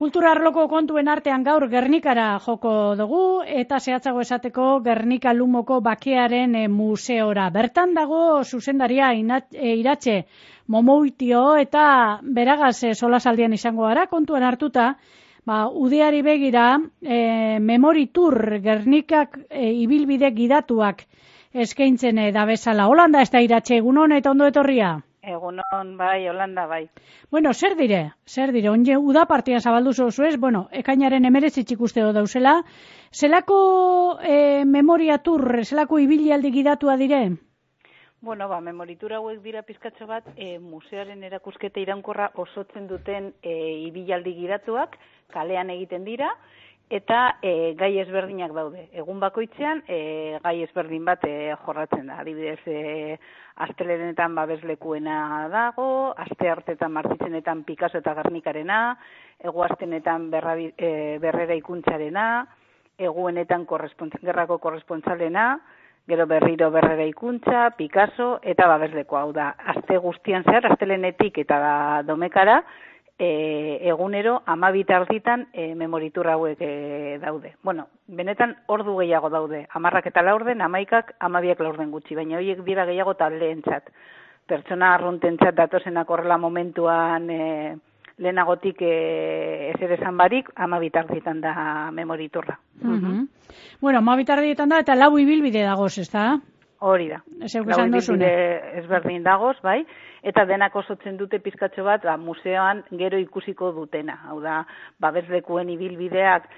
Kultura arloko kontuen artean gaur Gernikara joko dugu eta zehatzago esateko Gernika Lumoko Bakearen museora. Bertan dago zuzendaria Iratxe Momoitio eta beragaz solasaldian izango gara kontuan hartuta, udeari begira Memory Tour Gernikak ibilbide gidatuak eskaintzen da bezala. Holanda ez da Iratxe, egunon eta ondo etorria? Egunon, bai, Holanda, bai. Bueno, zer dire, onje uda partia zabaldu zozuez, ekainaren 19 ikusteo dauzela, zelako memoria tour, zelako ibilialdi gidatua dire? Bueno, memoritura hauek dira pizkatxo bat, museoaren erakusketa iraunkorra osotzen duten ibilialdi gidatuak, kalean egiten dira, eta gai ezberdinak daude. Egun bakoitzean gai ezberdin bat jorratzen da. Adibidez, astelerenetan babeslekuena dago, asteartetan martitzenetan Picasso eta Gernikarena, eguaztenetan berrera ikuntzarena, eguenetan gerrako korrespontsalena, gero berriro berrera ikuntza, Picasso eta babeslekoa. Hau da, aste guztian zehar, astelenetik eta domekara, egunero 12 arditan memoritura hauek daude. Bueno, benetan ordu gehiago daude. 10 eta 4, 11, 12 4 gutxi, baina horiek dira gehiago taldeentzat. Pertsona arruntentzat datozenak horrela momentuan lehenagotik ezer esan barik, 12 arditan da memoriturra. Bueno, 12 arditan da eta 4 ibilbide dagoz, ez da? Hori da. Lau ibilbide ezberdin dagoz, bai, eta denak osotzen dute pizkatxo bat museoan gero ikusiko dutena. Hau da, babeslekuen ibilbideak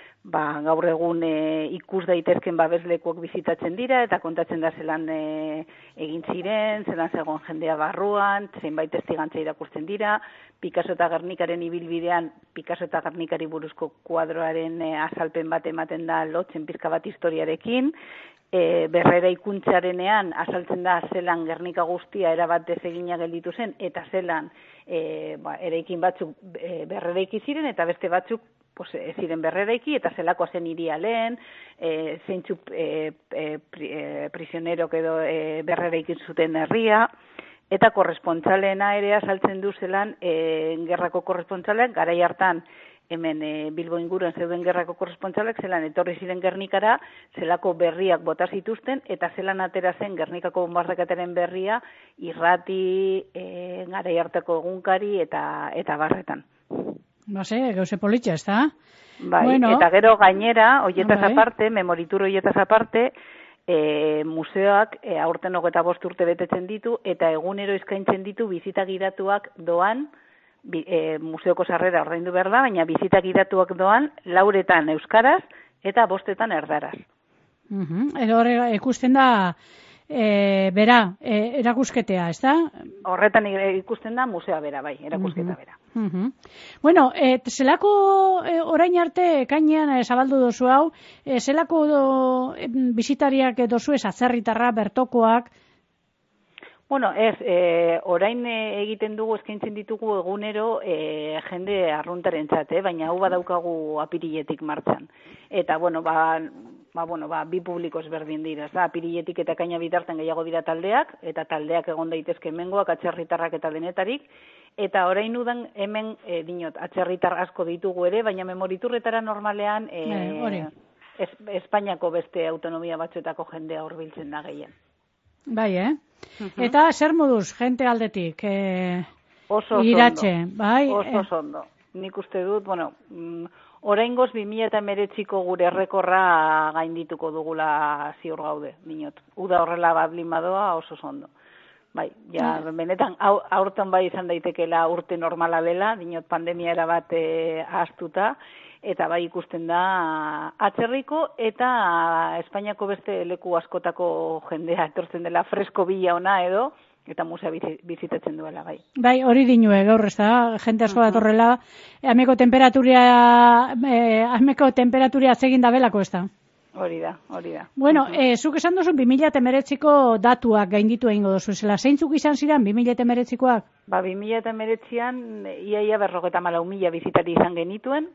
gaur egun ikus daitezken babeslekuak bizitatzen dira eta kontatzen da zelan egin ziren, zelan zegoen jendea barruan, zenbait testigantza irakurtzen dira, Picasso eta Gernikaren ibilbidean, Picasso eta Gernikari buruzko kuadroaren azalpen bat ematen da lotzen pizka bat historiarekin, berrera ikuntzarenean azaltzen da zelan Gernika guztia erabat desegina gelditu zen eta zelan eraikin batzuk berreraiki ziren eta beste batzuk ez ziren berreraiki eta zelakoa zen hiria lehen, zeintzuk prisionerok edo berreraikin zuten herria, eta korrespontsalena ere azaltzen du zelan gerrako korrespontsaleak garai hartan hemen Bilbo inguruan zeuden gerrako korrespontsalak zelan etorri ziren Gernikara, zelako berriak bota zituzten, eta zelan atera zen Gernikako bombardaketaren berria irrati, garai hartako egunkari eta barretan. Gauze politxa, ez da? Bai, bueno, eta gero gainera, hoietaz aparte, memoritur hoietaz aparte, museoak aurten 25 urte betetzen ditu, eta egunero eskaintzen ditu bizita gidatuak doan, museoko sarrera ordaindu behar da, baina bizita gidatuak doan 4 euskaraz eta 5 erdaraz. Edo ikusten da erakusketea, ez da? Horretan ikusten da museoa bera, bai, erakusketa bera. Bueno, zelako orain arte kainean zabaldu dozu hau, zelako bizitariak dozu ez atzerritarra, bertokoak? Bueno, orain egiten dugu, eskaintzen ditugu egunero jende arruntarentzat, baina hau badaukagu apiriletik martxan. Eta, bi publiko ezberdin dira, apiriletik eta kaina bitartan gehiago dira taldeak, eta taldeak egon daitezke hemengoak, atzerritarrak eta denetarik, eta orain udan hemen dinot, atzerritar asko ditugu ere, baina memoriturretara normalean Espainiako beste autonomia batzuetako jendea hurbiltzen da gehien. Bai, Eta zer moduz, jente aldetik? Iratxe, bai? Oso ondo. Nik uste dut, oraingoz 2019ko gure errekorra gaindituko dugula ziur gaude, dinot. Uda horrela badlin badoa oso ondo. Bai, benetan aurten bai izan daitekela urte normala dela, dinot pandemia erabat ahaztuta, eta bai ikusten da atzerriko eta Espainiako beste leku askotako jendea etortzen dela fresko bila ona edo, eta musea bizitatzen duela, bai. Bai, hori dinue gaur, ez da, jente asko datorrela, ameko temperaturia zegin da belako, ez da? Hori da. Bueno, zuk esan duzu 2019ko datuak gainditu egingo dozu zela. Zeintzuk izan ziren 2019koak? 2019an iaia 54.000 bizitari izan genituen.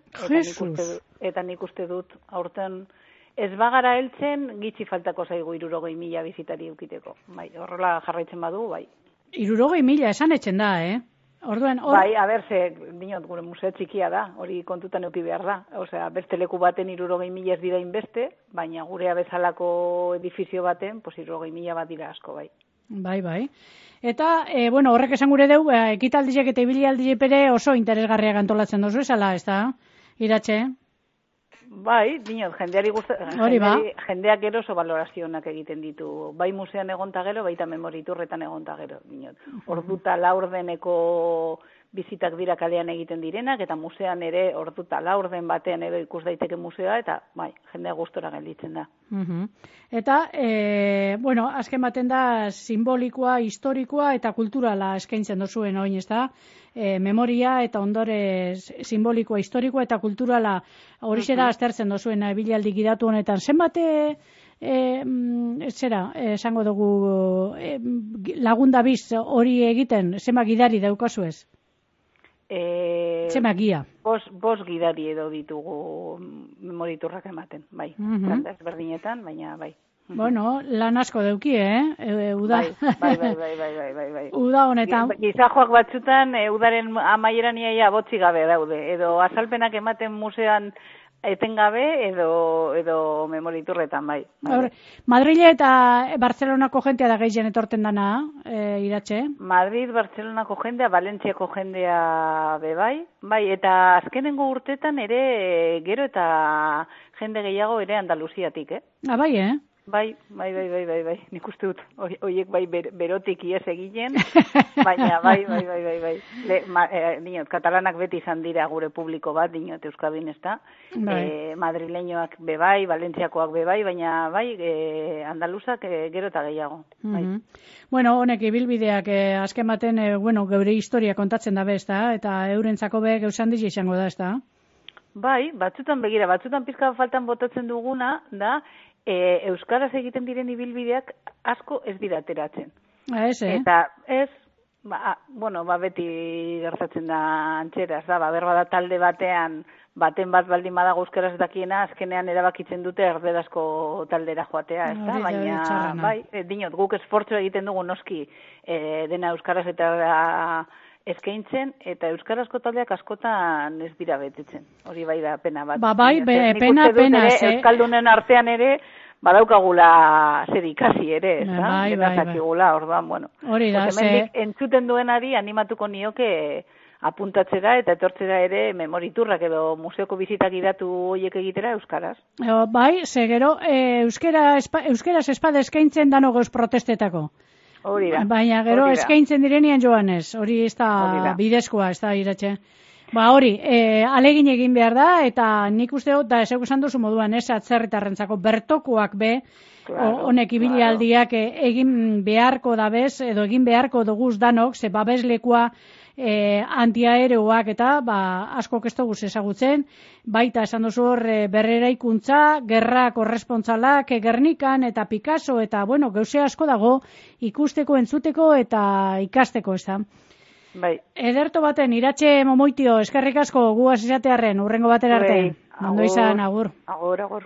Eta nik uste dut aurten ez bagara heltzen gitxi faltako zaigu 60.000 bizitari eukiteko. Bai, horrela jarraitzen badu, bai. 60.000 esan etxen da, Orduan, Bai, dinot, gure museo txikia da, hori kontutan euki behar da. Osea, beste leku baten 60.000 ez dira inbeste, baina gurea bezalako edifizio baten, 60.000 bat dira asko, bai. Bai. Eta, horrek esan gure deu, ekitaldiak eta ibilialdiak ere oso interesgarriak antolatzen dozu, esala, ez da? Iratxe? Bai, dinot, jendeak gero oso valorazionak egiten ditu. Bai musean egonta gero, baita memoriturretan egonta gero, dinot. Orduta laurdeneko bizitak dira kalean egiten direnak, eta musean ere orduta laurden batean edo ikus daiteke museoa, eta bai, jendea gustora gelditzen da. Eta, azken baten da simbolikoa, historikoa eta kulturala eskaintzen dozuen oin, ez da? Memoria eta ondore simbolikoa, historikoa eta kulturala horixe da aztertzen dozuen bilaldi gidatu honetan. Zenbate esango dugu lagunda biz hori egiten, zenba gidari daukazu ez? Zenba gia? Bos gidari edo ditugu memoriturrak ematen, bai. Ezberdinetan, baina bai. Bueno, lan asko deuki, Uda. Bai. Uda honetan. Gizajoak batzutan, udaren amaieran iaia botzi gabe daude. Edo azalpenak ematen museoan etengabe, edo memoriturretan, bai. Madrile eta Bartzelonako jentea da gehien etorten dana, Iratxe? Madrid, Bartzelonako jendea, Valentziako jendea bai, eta azkenengo urtetan ere gero eta jende gehiago ere Andaluziatik, Bai, Bai, nik uste dut, horiek bai berotik ies eginen, baina bai. Dinot, katalanak beti izan dira gure publiko bat, dinot, Euskadin ez da, madrileñoak bai, valentziakoak bai, baina bai, andaluzak gero eta gehiago. Bueno, honek ibilbideak azken baten, geure historia kontatzen da ez da, eta eurentzako be geusan dizi izango da, ez da? Bai, batzutan pizka faltan botatzen duguna, da, euskaraz egiten diren ibilbideak asko ez dira ateratzen. Eta ez, beti gertatzen da antxeraz, berbada talde baten bat baldin badago euskaraz dakiena, azkenean erabakitzen dute erderazko taldera joatea, ez da? Baina, bai, dinot, guk esfortzu egiten dugu noski dena euskaraz eta eskaintzen, eta euskarazko taldeak askotan ez dira betetzen. Hori bai da pena bat. Pena. Euskaldunen artean ere, badaukagula zer ikasi ere, ez da? Bai. Orduan, hori da, entzuten duenari animatuko nioke apuntatzera eta etortzera ere memoriturrak edo museoko bizitak idatu horiek egitera euskaraz. Bai, gero, euskaraz espada eskaintzen danogoz protestetako. Hori da. Baina gero eskaintzen direnean joanez, hori ez da bidezkoa, ez da Iratxe. Hori, alegin egin behar da, eta nik uste dut, da esegu esan duzu moduan, atzerritarrentzako bertokoak honek ibilialdiak egin beharko da bez, edo egin beharko duguz danok, ze babeslekua antiaeroak eta asko ez dugu ezagutzen, baita esan duzu hor berreraikuntza, gerra korrespontzalak, Gernikan eta Picasso, eta geuse asko dago ikusteko, entzuteko eta ikasteko, ez da. Bai. Ederto baten, Iratxe Momoitio, eskerrik asko guaz izatearren, urrengo batera arte. Ondo izan, agur.